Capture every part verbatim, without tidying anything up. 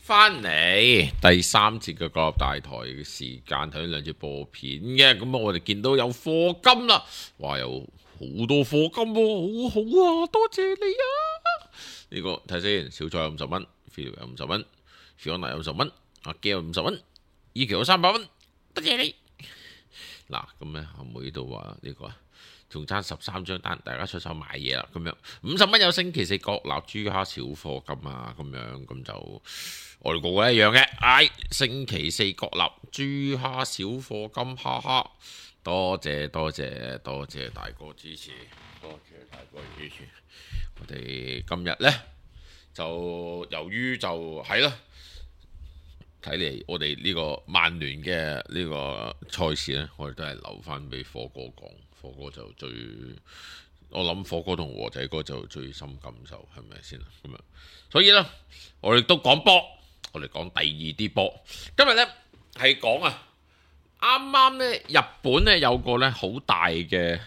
翻嚟第三節嘅國立大台嘅時間，睇兩節播片嘅，咁啊我哋見到有課金啦，哇有好多課金喎，好好啊，多謝你啊！呢、這個睇先，小菜有五十蚊 ，Phil 有五十蚊 ，Fiona 有五十蚊，阿 G 有五十蚊 ，E 橋有三百蚊，多謝你。嗱，咁咧阿妹都話呢個啊。仲爭十三張單，大家出手買嘢啦，咁樣五十蚊有星期四國立豬蝦小課金啊，咁樣咁就我哋個個一樣嘅，唉、哎，星期四國立豬蝦小課金，哈哈，多謝多謝多謝大哥支持，多謝大哥支持，我哋今日呢，就由於就係啦。睇嚟我哋呢個曼聯嘅呢個賽事呢，我哋都係留翻俾火哥講，火哥就最，我諗火哥同和仔哥就最深感受，係咪先啊？咁樣，所以呢，我哋都講波，我哋講第二啲波。今日呢，係講啊，啱啱呢，日本呢有個呢好大嘅，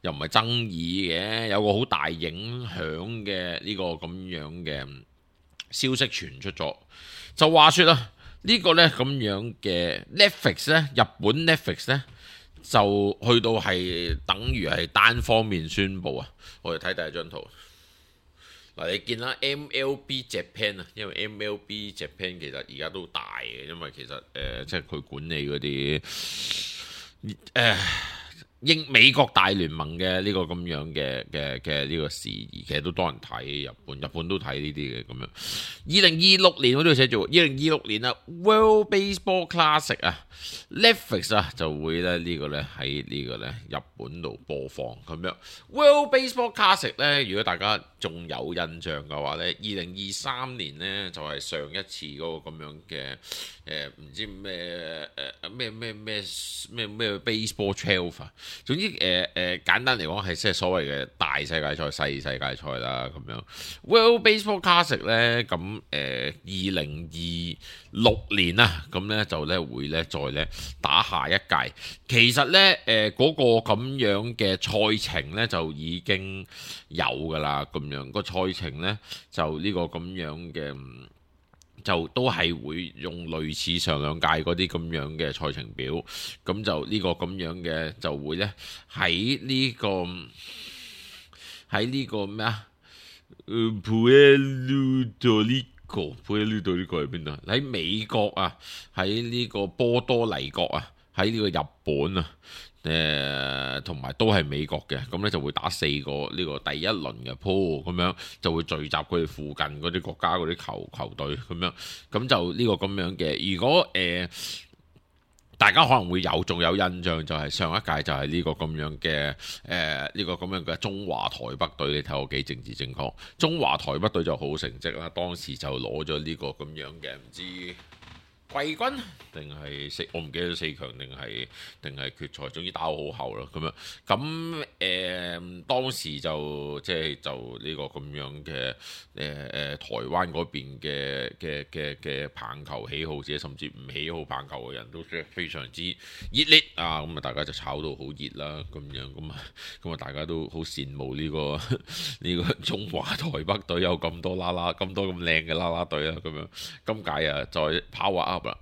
又唔係爭議嘅，有個好大影響嘅呢個咁樣嘅消息傳出咗，就話說啦。呢個呢咁樣嘅 Netflix 呢，日本 Netflix 呢，就去到係等於係單方面宣佈啊！我哋睇第一張圖嗱，你見啦 M L B Japan 啊，因為 M L B Japan 其實而家都大嘅，因為其實誒、呃、即係佢管理嗰啲誒英美國大聯盟嘅呢個咁樣嘅嘅嘅呢個事宜，其實都多人睇，日本日本都睇呢啲嘅咁樣。二零二六年我都要寫住，二零二六年啊 World Baseball Classic 啊 Netflix 啊就會咧呢個咧喺呢個咧日本度播放咁樣。World Baseball Classic 咧，如果大家仲有印象嘅話咧，二零二三年咧就係上一次嗰個咁樣嘅誒唔知咩誒咩咩咩咩咩 Baseball twelve 啊。總之誒誒、呃呃、簡單嚟講係即係所謂嘅大世界賽、細世界賽啦咁樣。World Baseball Classic 咧咁誒二零二六年啊，咁咧就咧會咧再咧打下一屆。其實咧誒嗰個咁樣嘅賽程咧就已經有㗎啦，咁樣、個賽程咧就呢個咁樣嘅。就都係會用類似上兩屆嗰啲咁樣嘅賽程表，咁就呢個咁樣嘅就會呢喺呢個喺呢個咩啊？誒 Puerto Rico，Puerto Rico 喺邊度？喺美國啊，喺呢個波多黎各啊，喺呢個日本啊。誒同埋都係美國嘅，咁咧就會打四個呢個第一輪嘅鋪，咁樣就會聚集佢哋附近嗰啲國家嗰啲球球隊咁樣，咁就呢個咁樣嘅。如果誒、呃、大家可能會有仲有印象，就係上一屆就係呢個咁樣嘅誒呢個咁樣嘅中華台北隊，你睇我幾政治正確。中華台北隊就好成績啦，當時就攞咗呢個咁樣嘅唔知季軍定係四，我唔記得四強定係定係決賽，總之打好後啦咁樣。咁誒、呃、當時就即係就呢個咁樣嘅誒誒台灣嗰邊嘅嘅嘅嘅棒球喜好者，甚至唔喜好棒球嘅人都非常之熱烈啊！咁啊，大家就炒到好熱啦咁樣，咁啊咁啊，大家都好羨慕呢、呢個呢個中華台北隊有咁多啦啦咁多咁靚嘅啦啦隊啊咁樣。今屆啊再 power up 啦，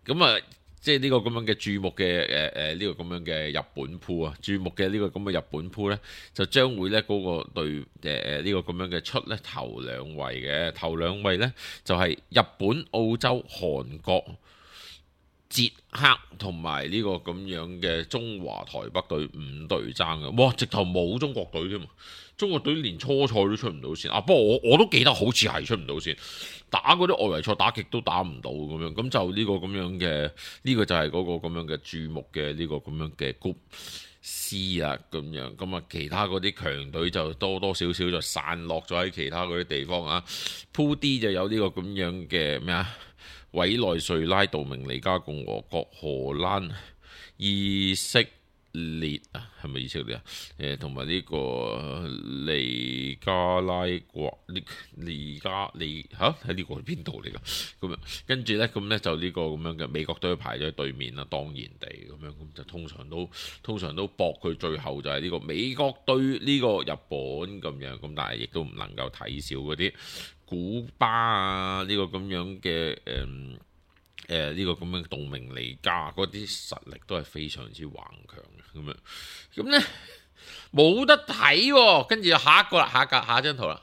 咁啊即係呢個咁樣嘅注目嘅誒誒呢個咁樣嘅日本鋪啊，注目嘅呢個咁嘅日本鋪呢，就將會呢嗰個隊誒誒呢個咁樣嘅出呢頭兩位嘅頭兩位呢，就係、是、日本、澳洲、韓國、捷克同埋呢個咁樣嘅中華台北隊五隊爭嘅，哇！直頭冇中國隊添嘛，中國隊連初賽都出唔到線啊！不過我我都記得好似係出唔到線。打嗰啲外圍賽打極都打唔到咁樣，咁就呢個咁樣嘅，呢、呢個就係嗰個咁樣嘅注目嘅呢個咁樣嘅 Group C 啊咁樣，咁啊其他嗰啲強隊就多多少少就散落咗喺其他嗰啲地方啊。Pool D 就有呢個咁樣嘅咩啊？委內瑞拉、道明尼加共和國、荷蘭、以色列啊，係咪以色列啊？誒，同埋呢個尼加拉國、尼尼加利嚇喺呢個係邊度嚟㗎？咁樣跟住咧，咁咧就呢個咁樣嘅美國隊排咗喺對面啦，當然地咁樣，咁就通常都通常都搏佢最後就係呢個美國對呢個日本咁樣，咁但係亦都唔能夠睇少嗰啲古巴啊呢、這個咁樣嘅誒誒呢個咁樣嘅杜明尼加嗰啲實力都係非常之頑強嘅咁樣，咁咧冇得睇喎，跟住下一個啦，下一格下一張圖啦，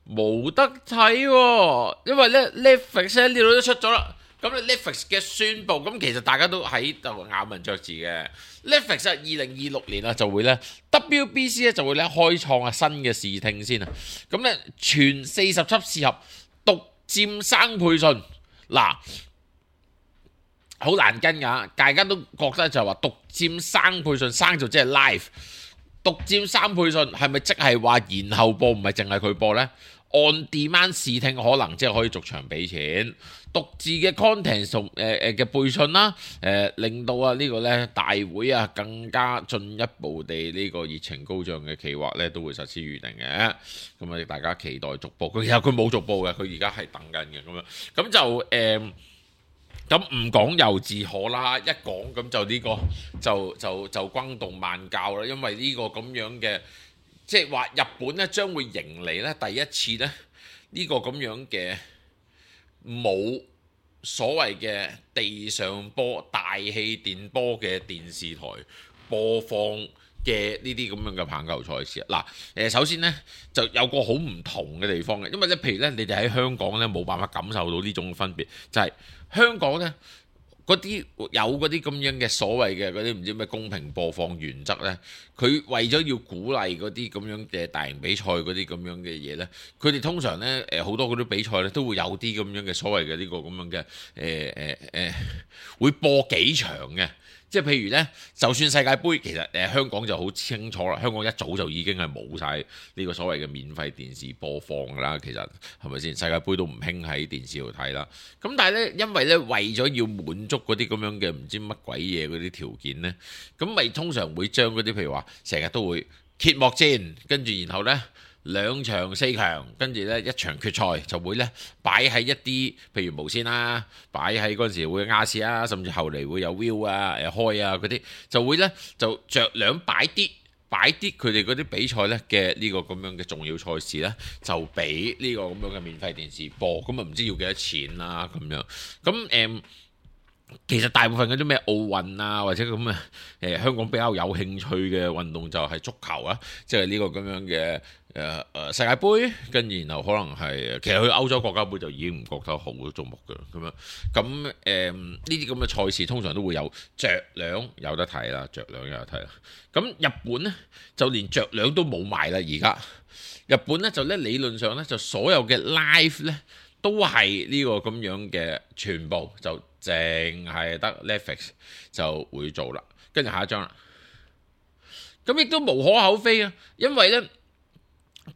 冇得睇喎，因為咧 Netflix 喺呢度都出咗啦。咁 Netflix 嘅宣佈，咁其實大家都喺度咬文嚼字嘅。Netflix 二零二六年啊就會咧 W B C 咧就會咧開創啊新嘅視聽先啊。咁咧全四十輯試合獨佔生配信，嗱好難跟㗎，大家都覺得就係話獨佔生配信，生就即係 live，獨佔生配信係咪即係話延後播唔係淨係佢播呢？On demand 視聽可能即係可以逐場俾錢，獨自嘅 content 同誒誒嘅背信啦，誒、呃、令到啊呢個咧大會啊更加進一步地呢個熱情高漲嘅企劃咧都會實施預定嘅，咁啊大家期待續播。佢其實佢冇續播嘅，佢而家係等緊嘅咁樣，咁就誒咁唔講又自可啦，一講咁就呢、這個就就就轟動萬教啦，因為呢個咁樣嘅。即係話日本咧將會迎嚟咧第一次咧呢個咁樣嘅冇所謂嘅地上波大氣電波嘅電視台播放嘅呢啲咁樣嘅棒球賽事啊！嗱誒，首先咧就有個好唔同嘅地方嘅，因為咧譬如咧你哋喺香港咧冇辦法感受到呢種分別，就係、是、香港咧。嗰啲有嗰啲咁樣嘅所謂嘅嗰啲唔知咩公平播放原則呢，佢為咗要鼓勵嗰啲咁樣嘅大型比賽嗰啲咁樣嘅嘢呢，佢哋通常呢，誒好多嗰啲比賽呢都會有啲咁樣嘅所謂嘅呢個咁樣嘅誒誒誒會播幾場嘅。即係譬如呢，就算世界盃，其實誒、呃、香港就好清楚啦。香港一早就已經係冇晒呢個所謂嘅免費電視播放㗎啦。其實係咪先？世界盃都唔興喺電視度睇啦。咁但係呢，因為呢，為咗要滿足嗰啲咁樣嘅唔知乜鬼嘢嗰啲條件呢，咁咪通常會將嗰啲譬如話成日都會揭幕戰，跟住然後呢。兩場四強，跟住咧一場決賽就會咧擺喺一啲譬如無線啦，擺喺嗰陣時會亞視啊，甚至後嚟會有 Viu 啊、誒開啊嗰啲，就會咧就着兩擺啲擺啲佢哋嗰啲比賽咧嘅呢個咁樣嘅重要賽事咧，就俾呢個咁樣嘅免費電視播，咁啊唔知要幾多錢啦咁樣，咁誒。嗯其實大部分嗰啲咩奧運啊，或者咁啊，誒香港比較有興趣嘅運動就係足球啊，即係呢個咁樣嘅誒誒世界盃，跟住然後可能係其實去歐洲國家盃就已經唔覺得好矚目㗎啦，咁樣咁誒呢啲咁嘅賽事通常都會有着兩有得睇啦，着兩有得睇啦。咁日本呢，就連着兩都冇埋啦，而家日本呢，就咧理論上呢，就所有嘅 live 呢，都係呢個咁樣嘅全部就。淨係得 Netflix 就會做啦，跟住下一張啦。咁亦都無可厚非啊，因為呢，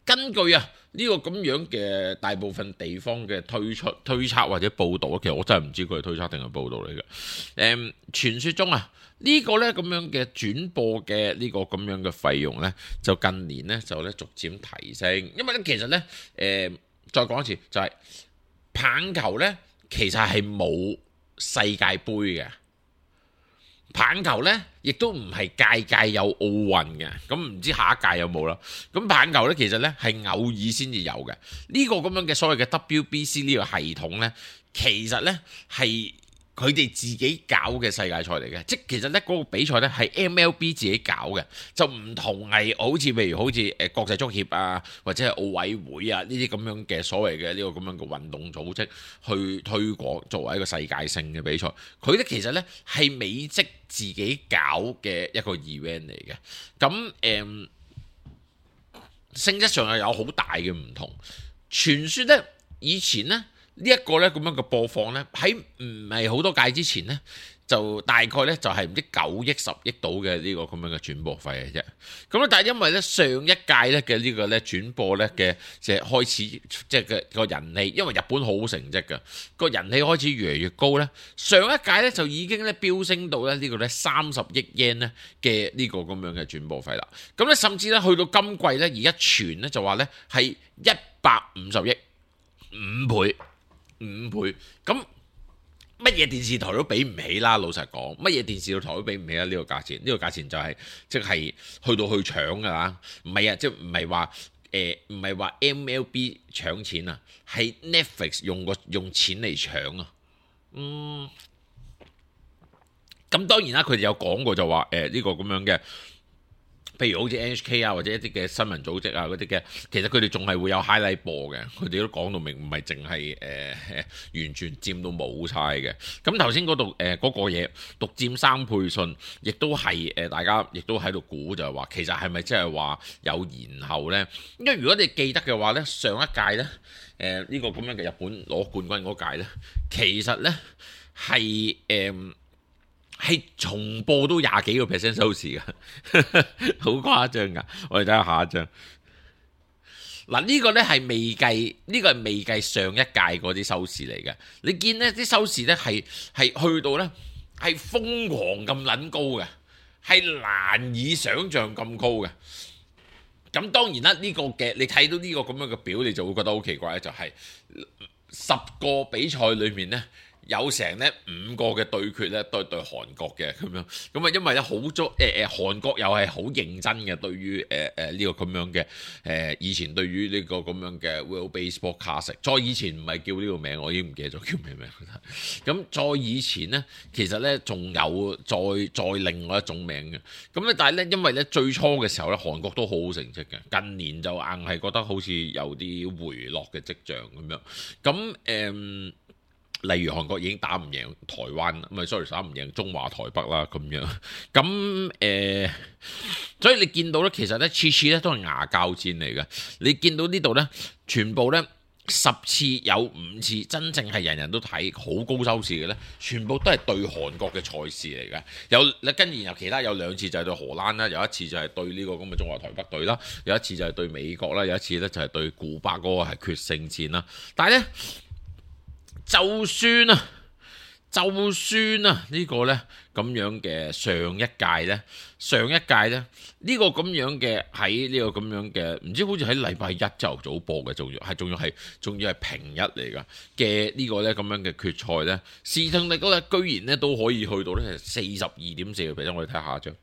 根據啊呢、這個咁樣嘅大部分地方嘅推出推測或者報導，其實我真係唔知佢係推測定係報導嚟嘅。誒、嗯，傳說中啊呢、這個呢咁樣嘅轉播嘅呢個咁樣嘅費用呢，就近年呢就咧逐漸提升，因為咧其實呢，誒、呃，再講一次就係、是、棒球呢，其實係冇。世界盃嘅棒球呢，亦都唔係屆屆有奧運嘅，咁唔知下一屆有冇啦。咁棒球呢，其實呢係偶爾先至有嘅。呢個咁樣嘅所謂嘅 W B C 呢個系統呢，其實呢係佢哋自己搞嘅世界賽嚟嘅，即係其實呢嗰個比賽呢係 M L B 自己搞嘅，就唔同係好似譬如好似誒國際足協啊，或者係奧委會啊呢啲咁樣嘅所謂嘅呢個咁樣嘅運動組織去推廣作為一個世界性嘅比賽，佢呢其實呢係美職自己搞嘅一個 event 嚟嘅，咁誒、嗯、性質上係有好大嘅唔同。傳說呢，以前呢。呢一個咧咁樣嘅播放咧，喺唔係好多屆之前咧，就大概咧就係唔知九億十億到嘅呢個咁樣嘅轉播費嘅啫。咁咧，但係因為咧上一屆咧嘅呢個咧轉播咧嘅即係開始即係嘅個人氣，因為日本好好成績嘅個人氣開始越嚟越高咧。上一屆咧就已經咧飆升到咧呢個咧三十億 yen 咧嘅呢個咁樣嘅轉播費啦。咁咧甚至咧去到今季咧而家傳咧就話咧係一百五十億五倍。五倍，咁乜嘢電視台都比唔起啦。老實講，乜嘢電視台都比唔起啦。呢個價錢，呢個價錢就係即係去到去搶㗎啦。唔係啊，即係唔係話誒唔係話 M L B 搶錢啊，係 Netflix 用個用錢嚟搶啊。嗯，咁當然啦，佢哋有講過就話誒呢個咁樣嘅。譬如好似 N H K 啊，或者一啲嘅新聞組織啊嗰啲嘅，其實佢哋仲係會有 highlight 播嘅，佢哋都講到明，唔係淨係誒完全佔到冇晒嘅。咁頭先嗰度誒嗰個嘢獨佔三倍信，亦都係誒、呃、大家亦都喺度估就係話，其實係咪即係話有延後呢？因為如果你記得嘅話呢，上一屆呢，誒、呃、呢、呢個咁樣嘅日本攞冠軍嗰屆呢，其實呢係誒。呃係重播都廿幾個 percent 收視嘅，好誇張噶！我哋睇下下一張。嗱，呢個呢係未計，呢個係未計上一屆嗰啲收視嚟嘅。你見呢啲收視呢係係去到呢係瘋狂咁撚高嘅，係難以想像咁高嘅。咁當然啦，呢個嘅你睇到呢個咁樣嘅表，你就會覺得好奇怪，就係十個比賽裏面呢。有成咧五個嘅對決咧，對對韓國嘅咁樣，咁啊因為咧好足誒誒韓國又係好認真嘅，對於誒誒呢個咁樣嘅誒、呃、以前對於呢個咁樣嘅 World Baseball Classic， 再以前唔係叫呢個名，我已經唔記得咗叫咩名。咁再以前咧，其實咧仲有再再另外一種名嘅，咁咧但係咧因為咧最初嘅時候咧，韓國都好好成績嘅，近年就硬係覺得好似有啲回落嘅跡象咁樣，咁誒。嗯例如韓國已經打唔贏台灣，唔係 sorry 打唔贏中華台北啦咁樣，咁誒、呃，所以你見到咧，其實咧次次咧都係牙膠戰嚟嘅。你見到呢度咧，全部咧十次有五次真正係人人都睇好高收視嘅咧，全部都係對韓國嘅賽事嚟嘅。有你跟住然後其他有兩次就係對荷蘭啦，有一次就係對呢個咁嘅中華台北隊啦，有一次就係對美國啦，有一次咧就係對古巴嗰個係決勝戰啦。但係咧。就算啊，就算啊，呢個呢咁樣嘅上一屆呢，上一屆呢，呢個咁樣嘅喺呢個咁樣嘅，唔知好似喺禮拜一朝頭早播嘅，仲要係仲要係仲要係平日嚟㗎嘅呢個呢咁樣嘅決賽呢，視聽率嗰日居然呢都可以去到呢四十二點四個 percent，我哋睇下一張，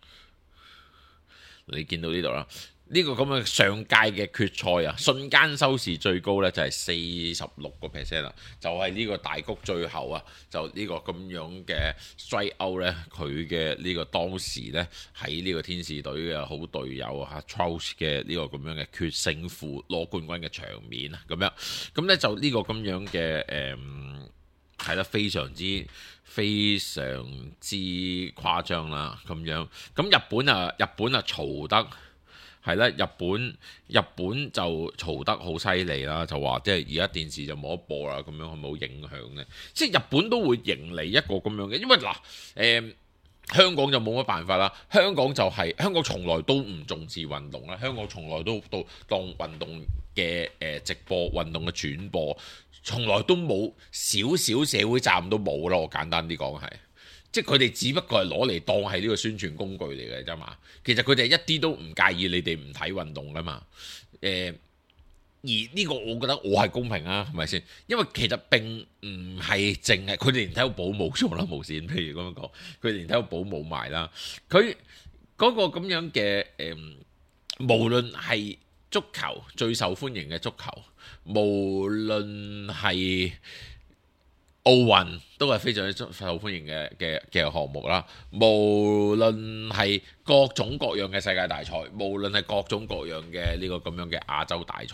你見到呢度啦。呢個咁嘅上屆嘅決賽啊，瞬間收視最高呢就係四十六個 percent 啦，就係呢個大谷最後啊，就呢個咁樣嘅 strike out 呢，佢嘅呢個當時呢，喺呢個天使隊嘅好隊友啊 Trout 嘅呢個咁樣嘅決勝負攞冠軍嘅場面啊，咁樣咁呢就呢個咁樣嘅誒係啦，非常之非常之誇張啦，咁樣咁日本啊日本啊嘈得。係啦，日本日本就嘈得好犀利啦，就話即係而家電視就冇得播啦，咁樣係冇影響呢？即係日本都會迎嚟一個咁樣嘅，因為嗱誒、呃、香港就冇乜辦法啦，香港就係、是、香港從來都唔重視運動啦，香港從來都都當運動嘅誒直播運動嘅轉播，從來都冇少少社會責任都冇啦，我簡單啲講係。即係佢哋只不過係攞嚟當係呢個宣傳工具嚟嘅啫嘛，其實佢哋一啲都唔介意你哋唔睇運動噶嘛，誒、呃、而呢個我覺得我係公平啊，係咪先？因為其實並唔係淨係佢哋連體育保冇咗啦，無線譬如咁樣講，佢哋連體育保冇埋啦，佢嗰個咁樣嘅誒、呃，無論係足球最受歡迎嘅足球，無論係奧運都係非常之受歡迎嘅嘅嘅項目啦，無論係各種各樣嘅世界大賽，無論係各種各樣嘅呢個咁樣嘅亞洲大賽，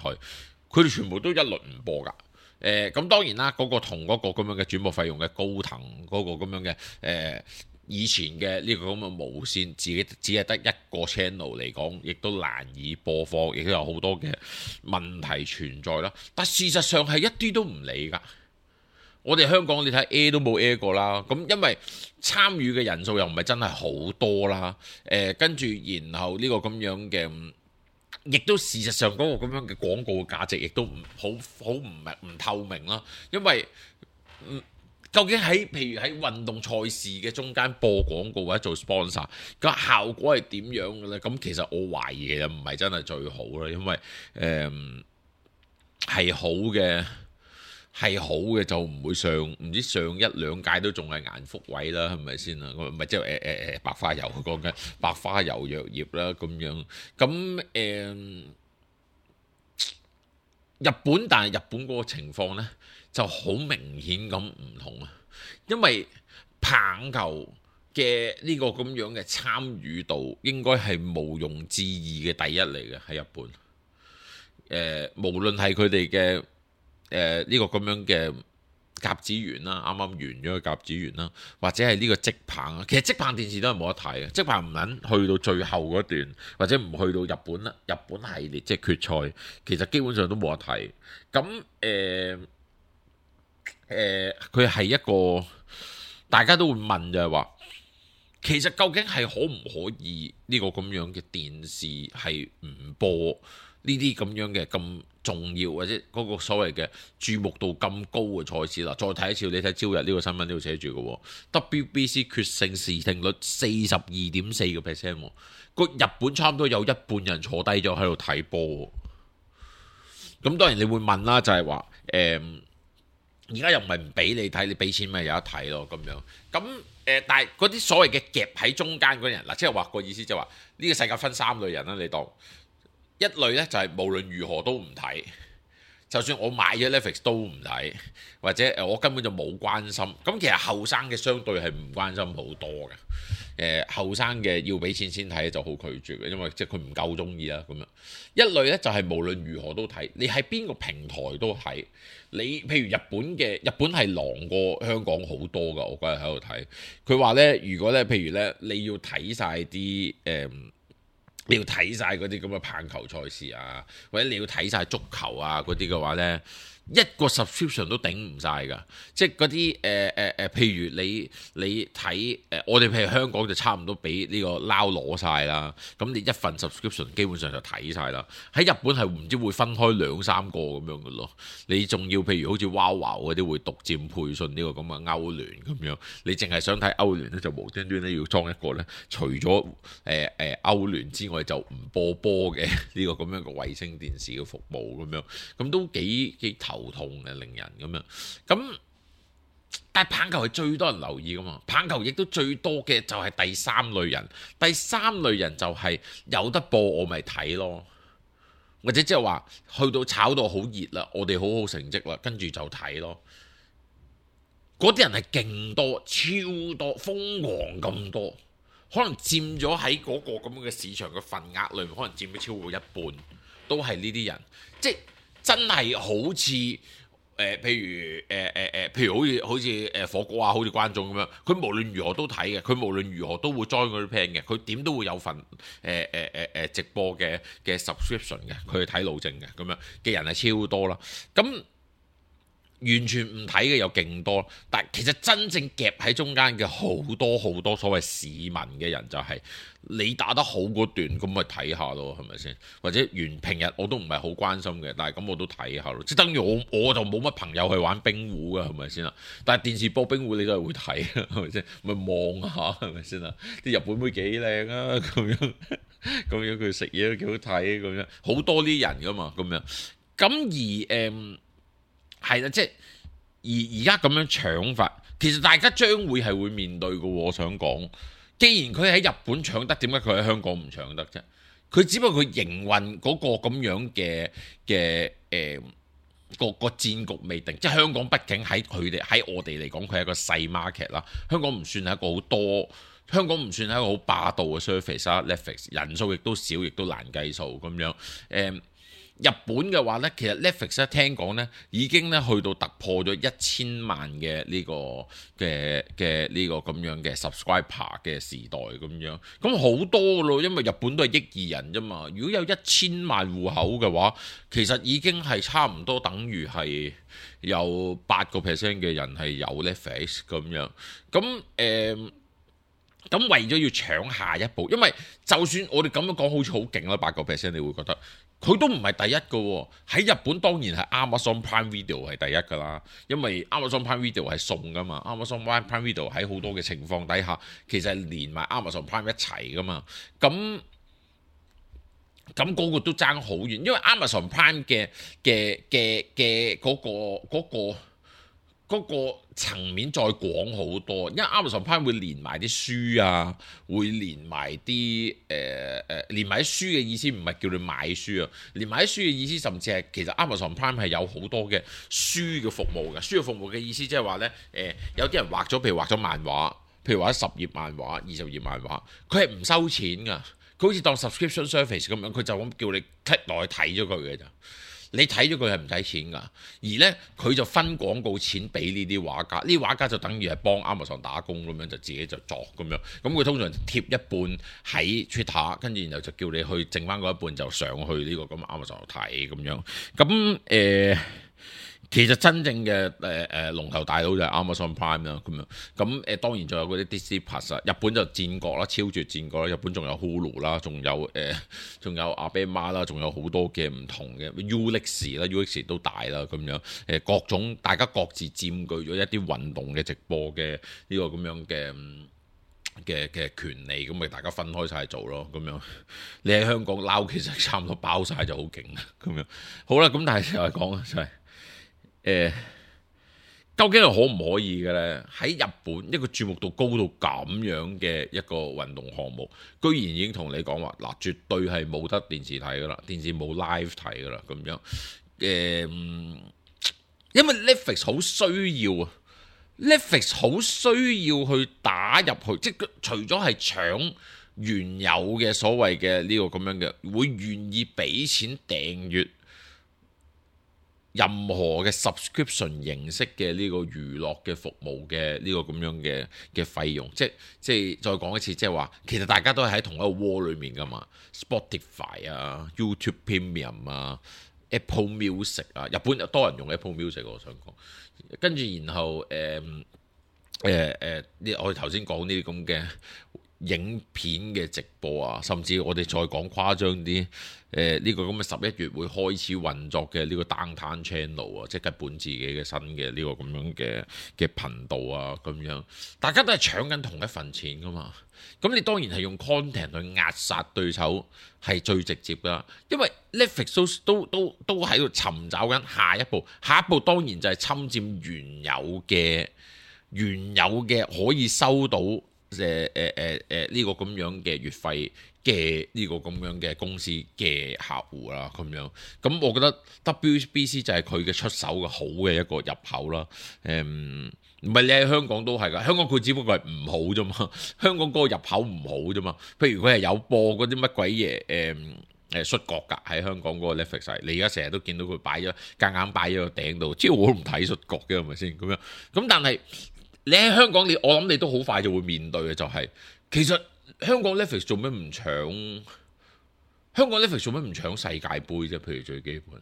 佢哋全部都一律唔播㗎。誒、呃、咁當然啦，嗰、嗰個同嗰個咁樣嘅轉播費用嘅高騰嗰個咁樣嘅誒、呃、以前嘅呢個咁嘅無線，自己只係得一個 channel 嚟講，亦都難以播放，亦都有好多嘅問題存在啦。但事實上係一啲都唔理㗎。我哋香港你睇 air 都冇 air 過啦，咁因為參與嘅人數又唔係真係好多啦，誒、呃、跟住然後呢個咁樣嘅，亦都事實上嗰個咁樣嘅廣告嘅價值亦都唔好好唔係唔透明啦，因為、嗯、究竟喺譬如喺運動賽事嘅中間播廣告或者做 sponsor 個效果係點樣嘅咧？咁其實我懷疑其實唔係真係最好啦，因為誒係、呃、好嘅。係好嘅就唔會上，唔知上一兩屆都仲係顏福位啦，係咪先啊？唔係即係誒誒誒白花油講緊白花油藥業啦咁樣，咁誒、呃、日本，但係日本嗰個情況呢就好明顯咁唔同啊，因為棒球嘅呢個咁樣嘅參與度應該係毋庸置疑嘅第一嚟嘅喺日本。誒、呃，無論係佢哋嘅誒呢個咁樣嘅甲子園啦，啱啱完咗個甲子園啦，或者係呢個職棒啊，其實職棒電視都係冇得睇嘅，職棒唔撚去到最後嗰段，或者唔去到日本啦，日本系列即係決賽，其實基本上都冇得睇。咁誒誒，佢係一個大家都會問就係話，其實究竟係可唔可以呢個咁樣嘅電視係唔播呢啲咁樣嘅咁重要或者嗰個所謂嘅注目度咁高嘅賽事啦？再睇一次，你睇朝日呢個新聞呢度寫住嘅 W B C 決勝視聽率四十二點四個 percent， 個日本差唔多有一半人坐低咗喺度睇波。咁當然你會問啦，就係話誒，而家又唔係唔俾你睇，你俾錢咪有得睇咯咁樣。咁誒、呃，但係嗰啲所謂嘅夾喺中間嗰啲人嗱，即係話個意思就係話呢個世界分三類人啦，你當。一類咧就係無論如何都唔睇，就算我買咗 Netflix 都唔睇，或者誒我根本就冇關心。咁其實後生嘅相對係唔關心好多嘅。誒後生嘅要俾錢先睇就好拒絕嘅，因為即係佢唔夠中意啦咁樣。一類咧就係無論如何都睇，你喺邊個平台都睇。你譬如日本嘅，日本係狼過香港好多噶，我嗰日喺度睇。佢話咧，如果咧譬如咧你要睇晒啲誒。嗯你要睇晒嗰啲咁嘅棒球賽事啊，或者你要睇晒足球啊嗰啲嘅話呢，一個 subscription 都頂唔晒㗎。即係嗰啲誒誒誒，譬如你你睇誒、呃，我哋譬如香港就差唔多俾呢個撈攞晒啦。咁你一份 subscription 基本上就睇晒啦。喺日本係唔知會分開兩三個咁樣嘅咯。你仲要譬如好似 WOWOW 嗰啲會獨佔配信呢個咁嘅歐聯咁樣，你淨係想睇歐聯咧，就無端端咧要裝一個咧，除咗誒誒歐聯之外就唔播波嘅呢個咁樣嘅衛星電視嘅服務咁樣，咁都幾幾頭痛嘅，令人咁樣。咁但係棒球係最多人留意噶嘛，棒球亦都最多嘅就係第三類人，第三類人就係有得播我咪睇咯，或者即係話去到炒到好熱啦，我哋好好成績啦，跟住就睇咯。嗰啲人係勁多，超多，瘋狂咁多，可能佔咗喺嗰個咁嘅市場嘅份額裏面，可能佔咗超過一半，都係呢啲人，即係真係好似。誒、呃，譬如誒誒誒，譬如好似好似誒火鍋啊，好似觀眾咁樣，佢無論如何都睇嘅，佢無論如何都會 join 嗰啲 plan 嘅，佢點都會有份誒誒誒誒直播嘅嘅 subscription 嘅，佢睇路政嘅咁樣嘅人係超多啦，咁。完全唔睇嘅有勁多，但其實真正夾喺中間嘅好多好多所謂市民嘅人就係、是、你打得好嗰段，咁咪睇下咯，係咪先？或者原平日我都唔係好關心嘅，但係咁我都睇下咯。即係等於我我就冇乜朋友去玩冰壺嘅，係咪先啦？但係電視播冰壺你都係會睇，係咪先？咪望下係咪先啦？啲日本妹幾靚啊，咁樣咁樣佢食嘢都幾好睇，咁樣好多啲人噶嘛，咁樣咁而誒。嗯係啦，即係而而家咁樣搶法，其實大家將會係會面對嘅。我想講，既然佢喺日本搶得，點解佢喺香港唔搶得啫？佢只不過佢營運嗰個咁樣嘅嘅誒個個戰局未定，即係香港畢竟喺佢哋喺我哋嚟講，佢係一個細 market 啦。香港唔算係一個好多，香港唔算係一個好霸道嘅 service 啦。Netflix 人數亦都少，亦都難計數咁樣誒。嗯日本嘅話呢，其實 Netflix 咧聽講呢已經咧去到突破咗一千萬嘅呢個嘅嘅呢個咁樣嘅 subscriber 嘅時代咁樣，咁好多咯，因為日本都係億二人啫嘛。如果有一千萬戶口嘅話，其實已經係差唔多等於係有八個 percent 嘅人係有 Netflix 咁樣，咁誒。呃咁為咗要搶下一步，因為就算我哋咁樣講好似好勁啦，八個 percent 你會覺得佢都唔係第一個喎。喺日本當然係 Amazon Prime Video 係第一噶啦，因為 Amazon Prime Video 係送噶嘛。Amazon Prime Video 喺好多嘅情況底下，其實係連埋 Amazon Prime 一齊噶嘛。咁咁嗰個都爭好遠，因為 Amazon Prime 嘅嘅嘅嘅嗰個嗰個。嗰個嗰個層面再廣好多，因為 Amazon Prime 會連埋啲書啊，會連埋啲誒誒連埋啲書嘅意思唔係叫你買書啊，連埋啲書嘅意思甚至係其實 Amazon Prime 係有好多嘅書嘅服務嘅，書嘅服務嘅意思即係話咧誒有啲人畫咗譬如畫咗漫畫，譬如畫咗十頁漫畫、二十頁漫畫，佢係唔收錢㗎，佢好似當 subscription service 咁樣，佢就咁叫你 click 落去睇咗佢嘅咋。你睇咗佢係唔使錢㗎，而呢，佢就分廣告錢俾呢啲畫家，呢啲畫家就等於係幫 Amazon 打工咁樣，就自己就作咁樣。咁佢通常貼一半喺 Twitter，跟住然後就叫你去剩翻嗰一半就上去呢個咁 Amazon 度睇咁樣。咁誒。呃其實真正嘅誒誒龍頭大佬就係 Amazon Prime 啦，咁樣咁誒、呃、當然仲有嗰啲 Disney Plus 啊，日本就戰國啦，超絕戰國啦，日本仲有 Hulu 啦，仲有誒仲有 Abema 啦，仲有好多嘅唔同嘅 Ulix 啦 ，Ulix 都大啦，咁樣誒各種大家各自佔據咗一啲運動嘅直播嘅呢個咁樣嘅嘅嘅權利，咁咪大家分開晒做咯，咁樣你喺香港撈其實差唔多包晒就好勁啦，咁樣好啦，咁但係又係講啊，就係、是。誒、呃，究竟係可唔可以嘅咧？喺日本一個注目度高到咁樣嘅一個運動項目，居然已經同你講話嗱，絕對係冇得電視睇噶啦，電視冇 live 睇噶啦，咁樣誒、呃，因為 Netflix 好需要啊 ，Netflix 好需要去打入去，即係除咗係搶原有嘅所謂嘅呢個咁樣嘅，會願意俾錢訂閱。任何嘅 subscription 形式嘅呢個娛樂嘅服務嘅呢個咁樣嘅嘅費用，即係即係再講一次，即係話其實大家都係喺同一個窩裏面噶嘛 ，Spotify 啊、YouTube Premium 啊、Apple Music 啊，日本有多人用 Apple Music， 我想講，跟住然後誒誒誒，呢我哋頭先講呢啲咁嘅影片嘅直播啊，甚至我哋再講誇張啲。誒呢、呃這個咁嘅十一月會開始運作嘅呢個 Downtown Channel 啊，即係日本自己嘅新嘅呢個咁樣嘅嘅頻道啊，咁樣大家都係搶緊同一份錢噶嘛。咁你當然係用 content 去壓殺對手係最直接噶，因為 Netflix 都都都都喺度尋找緊下一步，下一步當然就係侵佔原有嘅原有嘅可以收到誒誒誒誒呢個咁樣嘅月費嘅呢個咁樣嘅公司嘅客戶啦，咁樣咁我覺得 W B C 就係佢嘅出手嘅好嘅一個入口啦。誒唔係你喺香港都係㗎，香港佢只不過係唔好啫嘛，香港嗰個入口唔好啫嘛。譬如佢係有播嗰啲乜鬼嘢誒誒摔角㗎，喺香港嗰個 Netflix，你而家成日都見到佢擺咗夾硬擺咗個頂度，即係我都唔睇摔角嘅係咪先咁樣？咁但係你喺香港，你我諗你都好快就會面對嘅就係、是、其實。香港 Netflix 做咩唔搶？香港 Netflix 做咩唔搶世界盃啫？譬如最基本，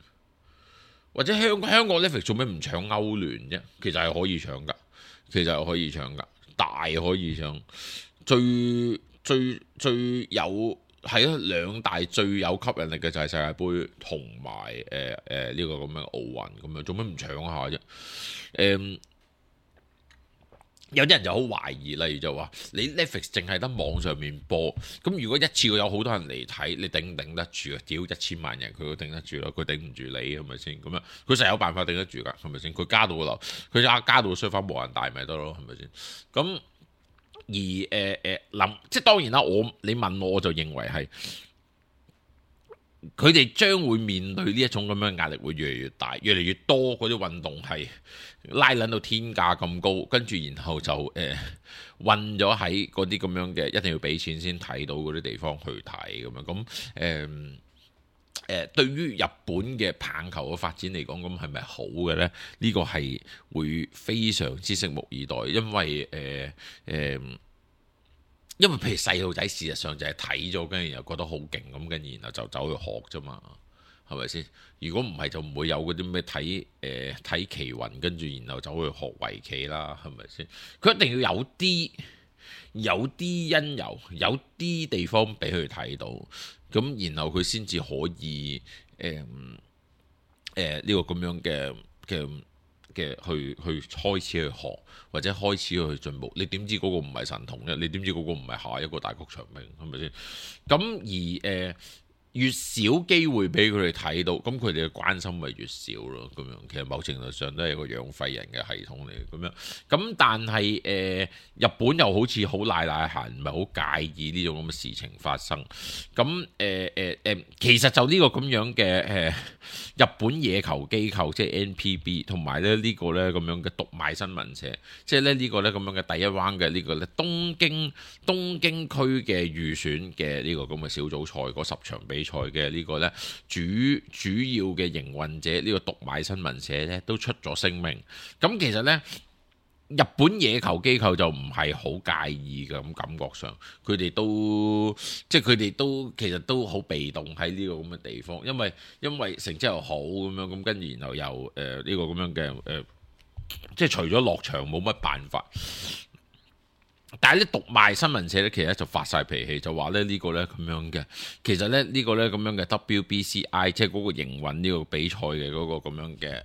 或者香香港 Netflix 做咩唔搶歐聯啫？其實係可以搶噶，其實係可以搶噶，大可以搶。最最最有係啊，兩大最有吸引力嘅就係世界盃同埋誒誒呢個咁樣奧運咁樣，做咩唔搶下啫？誒、呃。有啲人就好懷疑，例如就話你 Netflix 淨係得網上面播，咁如果一次過有好多人嚟睇，你頂唔頂得住啊？屌一千萬人佢都頂得住咯，佢頂唔住你係咪先？咁樣佢實有辦法頂得住㗎，係咪先？佢加到個樓，佢加加到個商翻無人大咪得咯，係咪先？咁而誒誒諗，即係當然啦，我你問我我就認為係。佢哋將會面對呢一種咁樣壓力會越嚟越大，越嚟越多嗰啲運動係拉撚到天價咁高，跟住然後就誒運咗喺嗰啲咁樣嘅一定要俾錢先睇到嗰啲地方去睇咁樣，咁誒誒對於日本嘅棒球嘅發展嚟講，咁係咪好嘅呢？呢、這個係會非常之拭目以待，因為誒誒。呃呃因為譬如細路仔事實上就係睇咗，跟住又覺得好勁咁，跟住然後就走去學啫嘛，係咪先？如果唔係就唔會有嗰啲咩睇誒睇棋魂，跟住然後走去學圍棋啦，係咪先？佢一定要有啲有啲因由，有啲地方俾佢睇到，咁然後佢先至可以誒誒呢個咁樣嘅嘅。嘅去去開始去學或者開始去進步，你點知嗰個唔係神童啫？你點知嗰個唔係下一個大谷翔平係咪先？咁而誒、呃、越少機會俾佢哋睇到，咁佢哋嘅關心咪越少咯。咁樣其實某程度上都係一個養廢人嘅系統嚟嘅。咁樣咁但係誒、呃、日本又好似好賴賴閒，唔係好介意呢種咁嘅事情發生。咁誒誒誒，其實就呢個咁樣嘅誒、呃、日本野球機構，即係 N P B， 同埋咧呢個咧咁樣嘅讀賣新聞社，即係咧呢個咧咁樣嘅第一 round 嘅呢個咧東京東京區嘅預選嘅呢個咁嘅小組賽嗰十場比賽嘅呢個咧主主要嘅營運者呢個讀賣新聞社咧都出咗聲明。咁其實咧日本野球機構就唔係好介意嘅，咁感覺上佢哋都即係佢哋都其實都好被動喺呢個咁嘅地方，因為因為成績又好咁樣，咁跟住然後又誒呢、呃呢個咁樣嘅誒、呃，即係除咗落場冇乜辦法。但係咧讀賣新聞社咧，其實就發晒脾氣，就話咧呢個咧咁樣嘅，其實咧呢個咧咁樣嘅 W B C I， 即係嗰個營運呢個比賽嘅嗰個咁樣嘅誒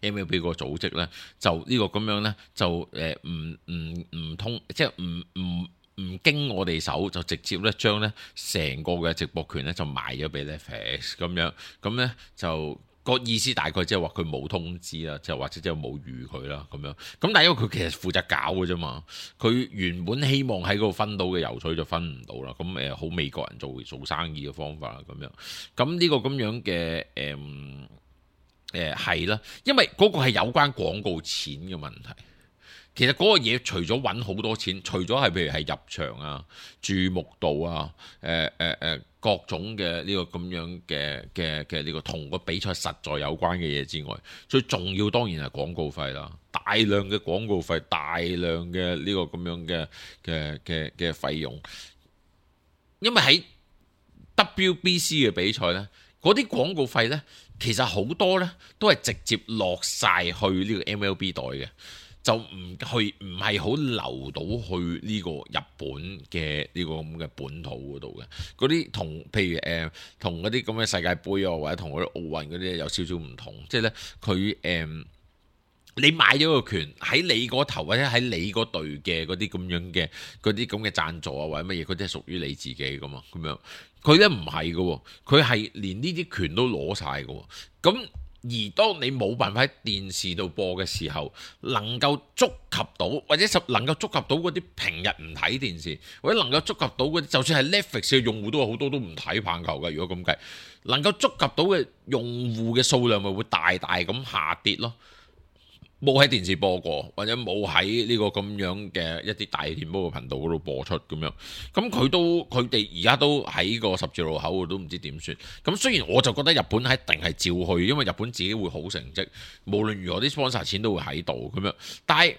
M L B 個組織咧，就呢個咁樣咧就誒唔唔唔通，即係唔唔唔經我哋手，就直接咧將咧成個嘅直播權咧就賣咗俾 Netflix 咁樣，咁咧就。個意思大概即係話佢冇通知啦，即係或者即係冇預佢啦咁樣。咁但係因為佢其實負責搞嘅啫嘛，佢原本希望喺嗰度分到嘅油水就分唔到啦。咁誒好美國人做做生意嘅方法啦咁樣。咁呢個咁樣嘅誒誒係啦，因為嗰個係有關廣告錢嘅問題。其實嗰個嘢除咗揾好多錢，除咗係譬如係入場啊、注目度啊、誒誒誒各種嘅呢個咁樣嘅嘅嘅呢個同個比賽實在有關嘅嘢之外，最重要當然係廣告費啦，大量嘅廣告費，大量嘅呢個咁樣嘅嘅嘅嘅費用，因為喺 W B C 嘅比賽呢，嗰啲廣告費呢，其實好多呢都係直接落晒去呢個 M L B 袋嘅。就唔去，唔係好流到去呢個日本嘅呢個咁嘅本土嗰度嘅。嗰啲同譬如誒同嗰啲咁嘅世界盃啊，或者同嗰啲奧運嗰啲有少少唔同。即係咧，佢誒、呃、你買咗個權喺你嗰頭，或者喺你嗰隊嘅嗰啲咁樣嘅嗰啲咁嘅贊助啊，或者乜嘢，嗰啲係屬於你自己噶嘛。咁樣佢咧唔係嘅，佢係連呢啲權都攞晒嘅。咁而當你冇辦法喺電視度播嘅時候，能夠觸及到，或者能夠觸及到嗰啲平日唔睇電視，或者能夠觸及到嗰啲，就算係 Netflix 嘅用戶都有好多都唔睇棒球嘅。如果咁計，能夠觸及到嘅用戶嘅數量咪會大大咁下跌咯。冇喺電視播過，或者冇喺呢個咁樣嘅一啲大電波嘅頻道嗰度播出咁樣，咁佢都佢哋而家都喺個十字路口都唔知點算。咁雖然我就覺得日本係一定係照去，因為日本自己會好成績，無論如何啲 sponsor 錢都會喺度咁樣，但係。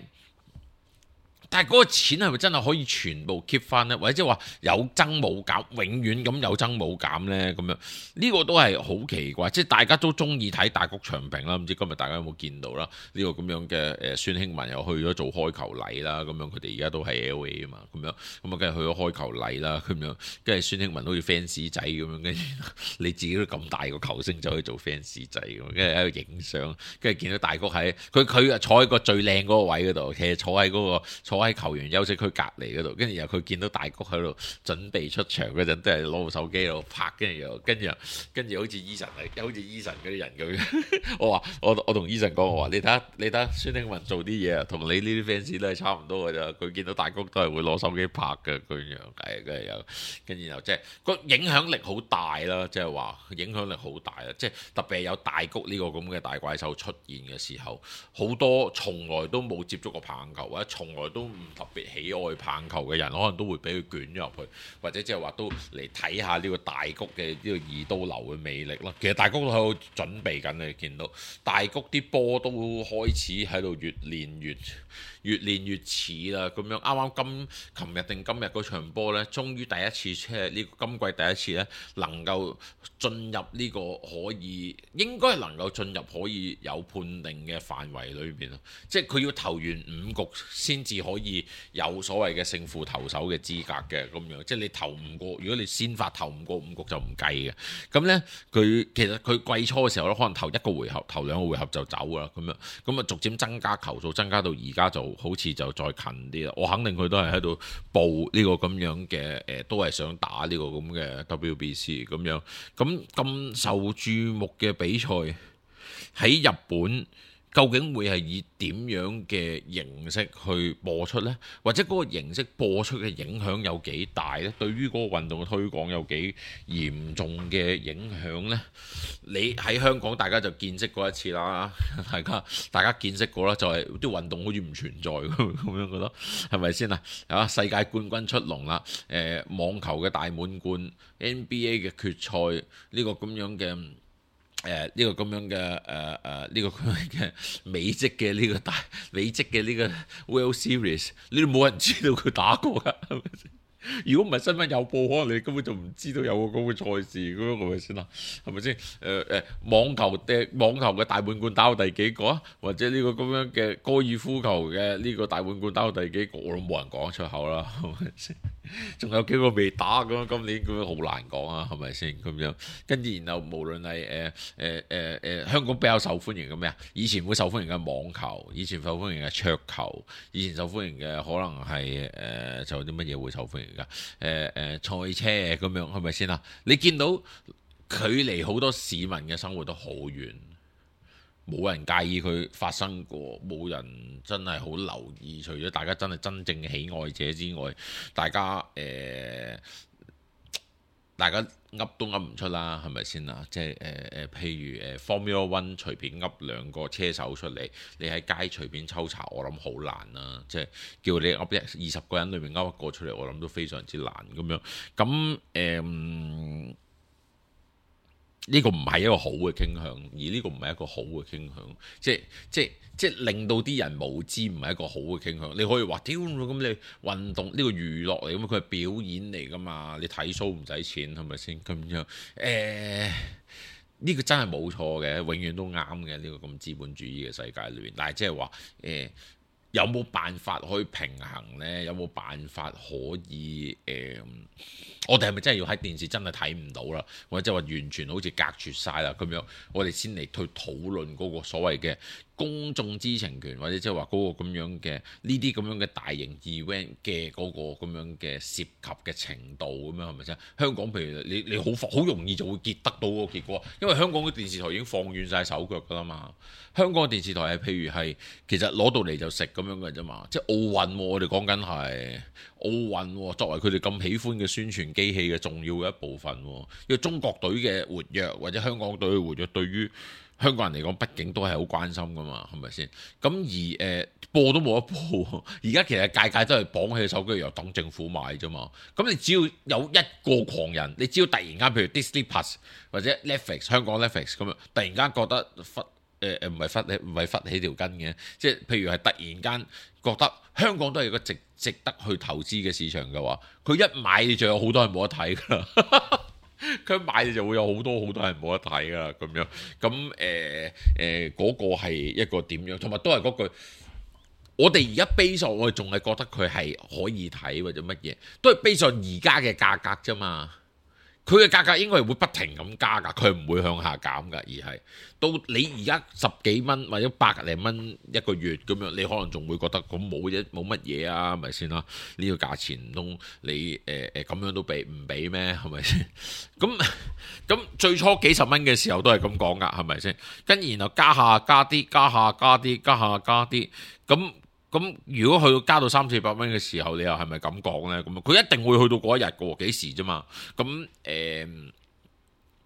但係嗰個錢係咪真係可以全部 keep 翻呢？或者即係話有增冇減，永遠咁有增冇減呢？咁樣呢、呢個都係好奇怪。即係大家都中意睇大谷翔平啦，唔知今日大家有冇見到啦？呢、呢個咁樣嘅誒孫興文又去咗做開球禮啦，咁樣佢哋而家都係 L A 啊嘛，咁樣咁啊，梗係去咗開球禮啦，咁樣跟住孫興文好似 fans 仔咁樣，跟住你自己都咁大個球星走去做 fans 仔咁，跟住喺度影相，跟住見到大谷喺佢佢啊坐喺個最靚嗰個位嗰度，其實坐喺嗰、嗰個坐喺球員休息區隔離嗰度，跟住又佢見到大谷喺度準備出場嗰陣，都係攞部手機喺度拍，跟住又跟住跟住好似 Eason 嚟，好似 Eason 嗰啲人咁樣。我話我我同 Eason 講，我話你睇下你睇下孫興文做啲嘢啊，同你呢啲 fans 都係差唔多㗎咋。佢見到大谷都係會攞手機拍嘅，咁樣係跟住又跟住又即係個影響力好大啦，即係話影響力好大啊！即係特別係有大谷呢個咁嘅大怪獸出現嘅時候，好多從來都冇接觸過棒球或者從來都唔特別喜愛棒球嘅人，可能都會俾佢捲咗入去，或者即係話都嚟睇下呢個大谷嘅呢個二刀流嘅魅力啦。其實大谷都喺度準備緊，你見到大谷啲波都開始喺度越練越越練越似啦。咁樣啱啱今琴日定今日嗰場波呢，終於第一次即係呢個今季第一次呢，能夠進入呢個可以應該係能夠進入可以有判定嘅範圍裏邊咯。即係佢要投完五局先至可可以有所謂嘅勝負投手嘅資格嘅咁樣，即係你投唔過，如果你先發投唔過五局就唔計嘅。咁呢，佢其實佢季初嘅時候咧，可能頭一個回合、頭兩個回合就走啦咁樣，咁啊逐漸增加球數，增加到而家就好似就再近啲啦。我肯定佢都係喺度報呢個咁樣嘅誒、呃，都係想打呢個咁嘅 W B C 咁樣。咁咁受注目嘅比賽喺日本，究竟會係以點樣嘅形式去播出呢？或者嗰個形式播出嘅影響有幾大呢？對於嗰個運動嘅推廣有幾嚴重嘅影響呢？你喺香港大家就見識過一次啦，大家大家見識過啦，就係、是、啲運動好似唔存在咁樣覺得，係咪先啊？啊，世界冠軍出籠啦！誒、呃，網球嘅大滿貫 ，N B A 嘅決賽呢、這個咁樣嘅。誒呢、呃這個咁樣嘅誒誒呢個咁樣嘅美職嘅呢個大美職嘅呢個 World Series，你都冇人知道佢打過㗎，係咪先？如果唔係新聞有報，可能你根本就唔知道有個咁嘅賽事，咁樣係咪先啦？係咪先？誒、呃、誒，網球嘅網球嘅大滿貫打到第幾個啊？或者呢個咁樣嘅高爾夫球嘅呢個大滿貫打到第幾個？我都冇人講出口啦，係咪先？仲有幾個未打咁樣，今年咁樣好難講啊，係咪先咁樣？跟住然後無論係誒誒誒誒香港比較受歡迎嘅咩啊？以前會受歡迎嘅網球，以前受歡迎嘅桌球，以前受歡迎嘅可能係誒、呃、就有啲乜嘢會受歡迎㗎？誒、呃、誒、呃、賽車咁樣係咪先啊？你見到距離好多市民嘅生活都好遠。冇人介意佢發生過，冇人真係好留意。除咗大家真係真正嘅喜愛者之外，大家誒、呃，大家噏都噏唔出啦，係咪先啊？即係誒誒，譬如誒 Formula One 隨便噏兩個車手出嚟，你喺街隨便抽查，我諗好難啦。即係叫你噏一二十個人裏面噏一個出嚟，我諗都非常之難咁樣。咁誒。呃呢個唔係一個好嘅傾向，而呢個唔係一個好嘅傾向，即係即係即係令到啲人無知，唔係一個好嘅傾向。你可以話屌咁你運動呢個娛樂嚟㗎嘛，佢係表演嚟㗎嘛，你睇 show 唔使錢係咪先咁樣？誒、呃、呢、呢個真係冇錯嘅，永遠都啱嘅呢個咁資本主義嘅世界裏面。但係即係話誒。有冇辦法可以平衡呢？有冇辦法可以誒、呃？我哋係咪真係要喺電視真係睇唔到啦？或者話完全好似隔絕晒啦咁樣？我哋先嚟去討論嗰個所謂嘅公眾知情權，或者即係話嗰個咁樣嘅呢啲咁樣嘅大型 event 嘅嗰個咁樣嘅涉及嘅程度咁樣係咪先？香港譬如你你好好容易就會結得到嗰個結果，因為香港嘅電視台已經放軟晒手腳㗎啦嘛。香港嘅電視台係譬如係其實攞到嚟就食咁樣嘅啫嘛，即係奧運我哋講緊係奧運作為佢哋咁喜歡嘅宣傳機器嘅重要嘅一部分，因為中國隊嘅活躍或者香港隊嘅活躍對於香港人嚟講畢竟都係好關心噶嘛，係咪先？咁而誒、呃、播都冇得播，而家其實屆屆都係綁起手機又等政府買啫嘛。咁你只要有一個狂人，你只要突然間譬如 Disney Plus 或者 Netflix 香港 Netflix 咁樣，突然間覺得忽誒誒唔係忽起唔係忽起條筋嘅，即係譬如係突然間覺得香港都係一個值值得去投資嘅市場嘅話，佢一買你就有好多人冇得睇㗎啦。佢一買你就會有好多好多人冇得睇㗎啦，咁樣咁誒誒嗰個係一個點樣？同埋都係嗰句，我哋而家 base 上我哋仲係覺得佢係可以睇或者乜嘢，都係 base 上而家嘅價格啫嘛。佢嘅價格應該係會不停咁加㗎，佢唔會向下減㗎，而係到你而家十幾蚊或者百零蚊一個月咁樣，你可能仲會覺得咁冇嘢冇乜嘢啊，係咪先啦？呢、這個價錢唔通你誒誒咁樣都俾唔俾咩？係咪先？咁咁最初幾十蚊嘅時候都係咁講㗎，係咪先？跟然後加下加啲，加下加啲，加下加啲，咁。咁如果去到加到三四百蚊嘅時候，你又係咪咁講呢？咁佢一定會去到嗰一日嘅喎，幾時啫嘛？咁誒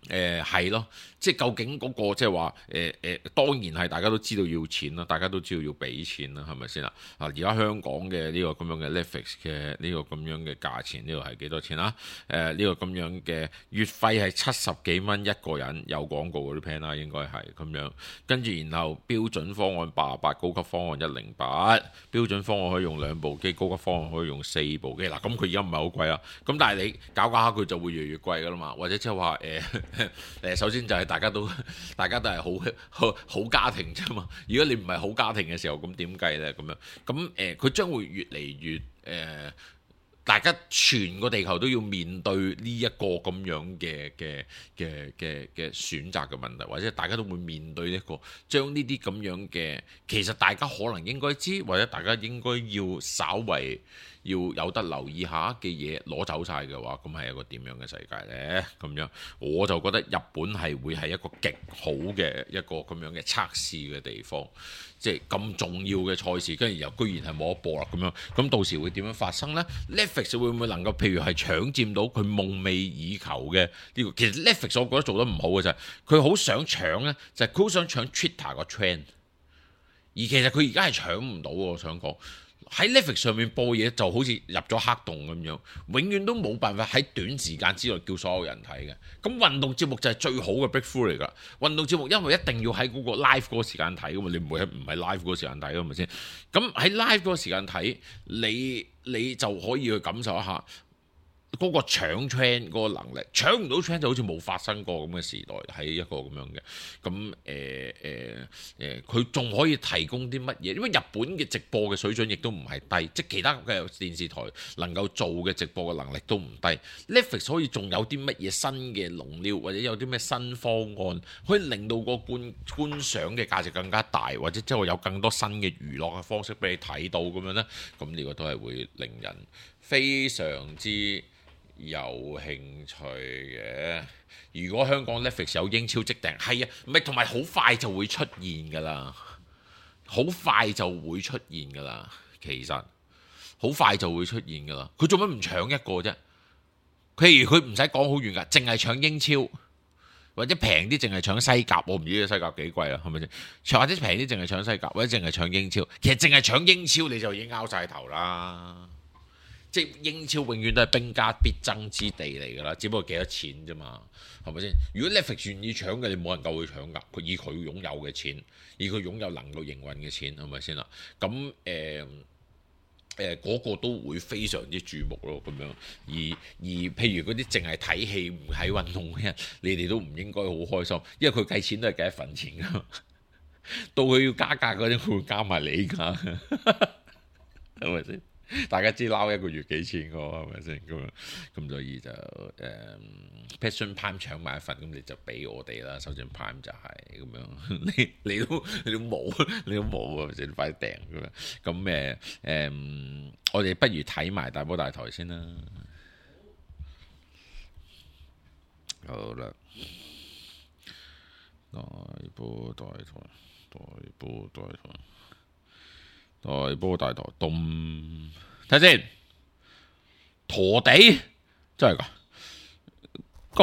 誒係咯，即係究竟嗰、那個即係話誒誒，當然係大家都知道要錢啦，大家都知道要俾錢啦，係咪先啦？啊，而家香港嘅呢個咁樣嘅 Netflix 嘅呢個咁樣嘅價錢，呢個係幾多錢啊？誒、呃、呢、這個咁樣嘅月費係七十幾蚊一個人，有廣告嗰啲 plan 啦，應該係咁樣。跟住然後標準方案八十八，高級方案一零八，標準方案可以用兩部機，高級方案可以用四部機。嗱，咁佢而家唔係好貴啦，咁但係你搞搞下佢就會越嚟越貴噶啦嘛，或者即係話誒誒，首先就係大家都大家都係好好好家庭啫嘛。如果你唔係好家庭嘅時候，咁點計呢？咁樣咁誒，佢、呃、將會越嚟越誒。呃大家全個地球都要面對呢一個咁樣嘅嘅嘅嘅嘅選擇嘅問題，或者大家都會面對一個將呢啲咁樣嘅，其實大家可能應該知，或者大家應該要稍為要有得留意下嘅嘢攞走晒嘅話，咁係一個點樣嘅世界呢？咁樣我就覺得日本係會係一個極好嘅一個咁樣嘅測試嘅地方，即係咁重要嘅賽事，跟住又居然係冇得播啦咁樣，咁到時會點樣發生呢？ Netflix 會唔會能夠譬如係搶佔到佢夢寐以求嘅呢個？其實 Netflix 我覺得做得唔好嘅就係佢好想搶呢，就係佢好想搶 Twitter 個 trend，而其實佢而家係搶唔到。我想講喺 Netflix 上面播嘢就好似入咗黑洞咁樣，永遠都冇辦法喺短時間之內叫所有人睇嘅。咁運動節目就係最好嘅 breakthrough 嚟㗎。運動節目因為一定要喺嗰個 live 嗰個時間睇㗎嘛，你唔會喺唔係 live 嗰個時間睇㗎嘛先。咁喺 live 嗰個時間睇，你你就可以去感受一下嗰個搶 trend 嗰個能力，搶唔到 trend 就好似冇發生過咁嘅時代，係一個咁樣嘅。咁誒誒誒，佢仲可以提供啲乜嘢？因為日本嘅直播嘅水準亦都唔係低，即係其他嘅電視台能夠做嘅直播嘅能力都唔低。Netflix 可以仲有啲乜嘢新嘅龍料，或者有啲咩新方案，可以令到個觀觀賞嘅價值更加大，或者即係有更多新嘅娛樂嘅方式俾你睇到咁樣呢？咁呢個都係會令人非常之有興趣嘅。如果香港 Netflix 有英超即定，係啊，唔係同埋好快就會出現㗎啦，好快就會出現㗎啦。其實好快就會出現㗎啦。佢做乜唔搶一個啫？譬如佢唔使講好遠㗎，淨係搶英超，或者平啲淨係搶西甲。我唔知西甲幾貴啊，係咪先？或者平啲淨係搶西甲，或者淨係搶英超。其實淨係搶英超你就已經拗晒頭啦。即係英超永遠都係兵家必爭之地嚟㗎啦，只不過幾多錢啫嘛，係咪先？如果 Netflix 願意搶嘅，你冇人夠佢搶㗎。佢以佢擁有嘅錢，以佢擁有能夠營運嘅錢，係咪先啦？咁誒誒嗰個都會非常之注目咯，咁樣。而而譬如嗰啲淨係睇戲唔睇運動嘅人，你哋都唔應該好開心，因為佢計錢都係計一份錢㗎。到佢要加價嗰陣，佢會加埋你㗎，係咪先？大家知撈一個月幾錢個係咪先？咁樣咁所以就誒、嗯、Passion Prime 搶埋一份，咁你就俾我哋啦。首先 Prime 就係咁樣，你你都你都冇，你都冇啊！先快啲訂咁樣。咁誒誒，我哋不如睇埋大波大台先啦。好啦，大波大台，大波大台。大波大台，咚睇先，陀地真係噶。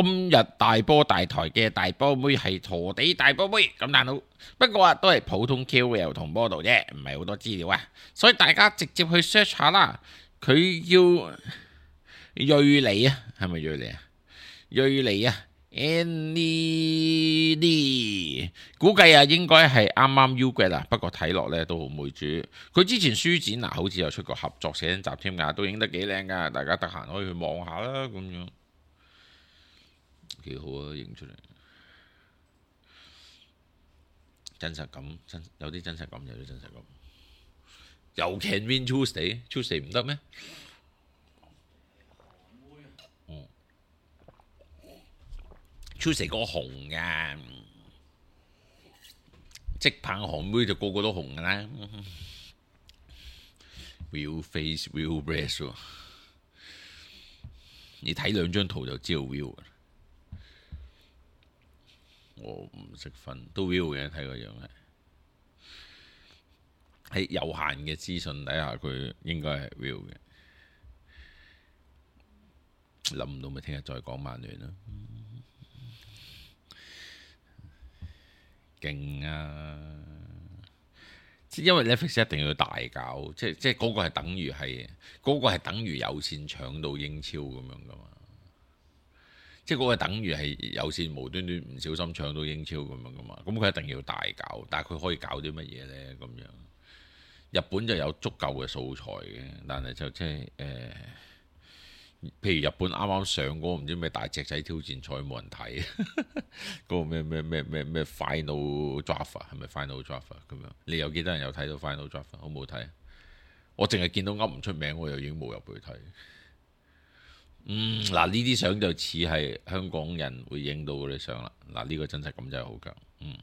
今日大波大台嘅大波妹係陀地大波妹咁難到，不過啊都係普通 K O L 同 model 啫，唔係好多資料啊，所以大家直接去 search 下啦。佢叫瑞妮啊，係咪瑞妮啊？瑞妮啊！Annie， 估計啊應該係啱啱 U 嘅啦，不過睇落咧都好妹豬。佢之前書展啊，好似有出過合作寫真集添㗎，都影得幾靚㗎，大家得閒可以去望下啦，咁樣幾好啊，影出嚟真實感，真有啲真實感，有啲真實感。又 Can Win Tuesday，Tuesday 唔得咩？Tuesday 個紅㗎，即棒韓妹就個個都紅㗎啦。Real face, real breast 喎，你睇兩張圖就知道 real。我唔識分，都 real 嘅，睇個樣係。喺有限嘅資訊底下，佢應該係 real 嘅。諗唔到咪聽日再講曼聯啦。勁啊！因為 Netflix 一定要大搞，即係即係嗰個係等於係嗰個係等於有線搶到英超咁樣噶嘛，即係嗰個等於係有線無端端唔小心搶到英超咁樣噶嘛，咁佢一定要大搞，但係佢可以搞啲乜嘢呢？咁樣日本就有足夠嘅素材嘅，但係就即係誒譬如日本啱啱上嗰個唔知咩大隻仔挑戰賽冇人睇，嗰個咩咩咩咩咩 Final Draft 係咪 Final Draft 咁樣？你有幾多人有睇到 Final Draft？好冇睇？我淨係見到噏唔出名，我又已經冇入去睇。嗯，嗱呢啲相就似係香港人會影到嗰啲相啦。嗱呢個真實感真係好強。嗯，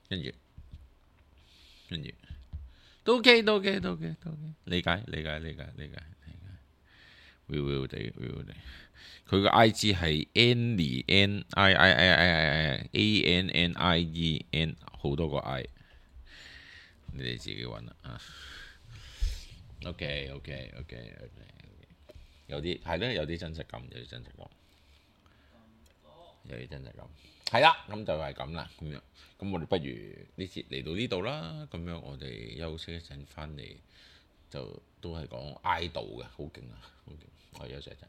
跟住跟住都 OK 都 OK 都 OK 都 OK，理解理解理解理解。會會地會會地，佢個 I G 係 Annie N I I I I I A N N I E N 好多個 I， 你哋自己揾啦啊。OK OK OK OK， 有啲係咧，有啲真實感，有啲真實感，有啲真實感，係啦，咁就係咁啦，咁樣，咁我哋不如呢節嚟到呢度啦，咁樣我哋休息一陣，翻嚟就都係講 idol 嘅，好勁啊，好勁，我休息一陣。